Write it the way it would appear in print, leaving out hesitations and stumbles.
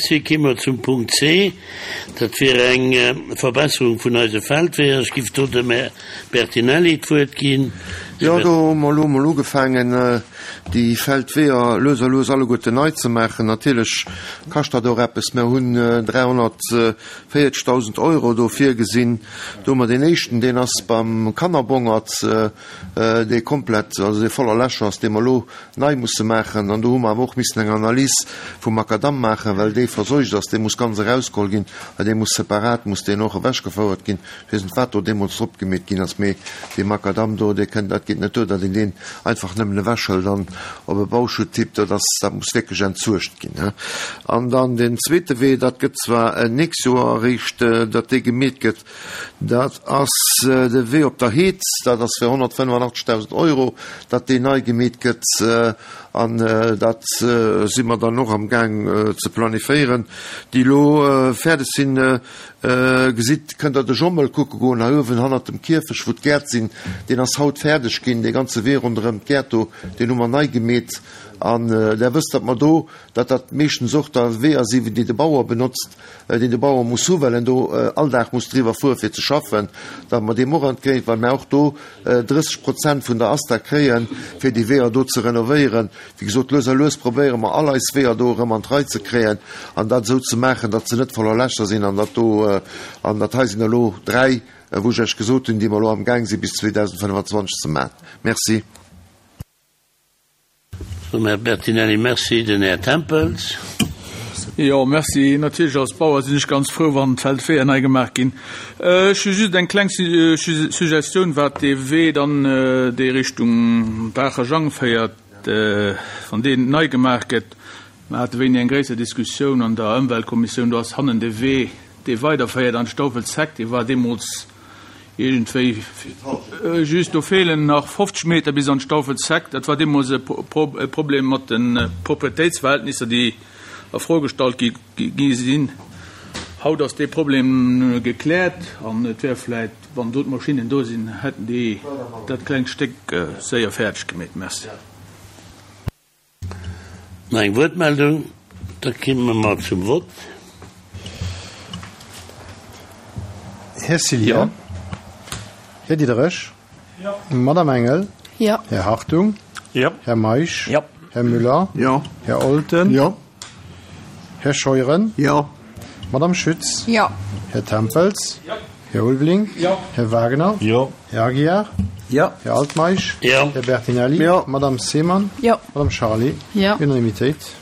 Merci. Ki mer zum Punkt C. Dat wier eng Verbesserung vun eise Feldweeër. Ech giff do dem Här Bertinelli d'Wuert ginn. Jo, do hu mer elo emol ugefaangen, déi Feldweeër lues a lues alleguerten nei ze maachen. Natierlech kascht dat och eppes. Mer hunn 340.000 Euro do virgesinn. Do hu mer deen éischten, deen ass beim Kannerbongert, dee komplett, also dee voller Lächer ass, dee mer elo nei musse maachen. An do hu mer awer och missen eng Analys vum Makadamm maachen, well dee verseucht ass. Dee muss ganz erausgeholl ginn, well dee muss separat, muss deen och ewechgefouert ginn. Ech weess net, wat do deemools drop gemeet ginn ass, mee dee Makadamm do, dee kënnt, dat geet net duer, datt een deen einfach nëmmen ewechhëlt an op e Bauschutt tippt. Dat ass, dat muss wierklech entsuergt ginn. An dann deen zweete Wee, dat gëtt zwar nächst Joer eréischt, datt dee gemeet gëtt, Dat ass de Wee op der Heed. Dat ass fir 185.000 Euro, datt deen nei gemeet gëtt. An dat si mer dann och amgaang ze planifiéieren. Déi elo fäerdeg sinn, gesitt, kënnt Der de Jommel kucke goen, hei uewen hannert dem Kierfech, wou d'Gäert sinn. Deen ass haut fäerdeg ginn, dee ganze Wee ronderëm d'Gäert do, deen hu mer nei gemeet. An Der wësst, datt mer do, datt dat meeschtens och da Weeër sinn, déi de Bauer benotzt, deen de Bauer muss hu well en do all Dag muss driwwer fuere fir ze schaffen, datt mer deem och entgéint, well mer och do 30 Prozent vun der ASTA kréien, fir déi Weeër do ze renovéieren. Wéi gesot, lues a lues probéiere mer all eis Weeër do erëm an d'Rei ze kréien an dat esou ze maachen, datt se net voller Lächer sinn an datt do, an dat hei sinn elo 3, wou ech Iech gesot hunn, déi mer elo amgaang si bis 2025 ze maachen. Merci. Dem Här Bertinelli Merci. Den Här Tempels. Jo, merci. Natierlech als Bauer sinn ech ganz frou, wann d'Feldweeër nei gemaach ginn. Ech hu just eng kleng Suggestioun, wat dee Wee dann, dee Richtung Baacher Jang féiert, wann deen nei gemaach gëtt. Mer hate wéini eng gréisser Diskussioun an der Ëmweltkommissioun. Do ass hannen de Wee, dee weiderféiert an d'Staufelzeck, dee war deemools Iergendwéi just, do feelen nach 50 Meter bis an d'Stauffelsheck. Dat war deemools e Problem mat de Proprietéitsverhältnisser, déi a Fro gestallt gi sinn. Haut ass dee Problem gekläert an et wär vläicht, wann do d'Maschinnen do sinn, hätten déi dat klengt Stéck séier fäerdeg gemeet. Merci. Nach eng Wuertmeldung? Da kimme mer zum Vott. Här Cillien. Här Diderich. Madame Engel. Här Hartung. Här Meisch. Här Müller. Här Olten. Här Scheuren. Madame Schütz. Här Tempels. Här Ulveling. Här Wagner. Här Aguiar. Här Altmeisch. Här Bertinelli. Madame Seemann. Madame Charlé. Unanimitéit.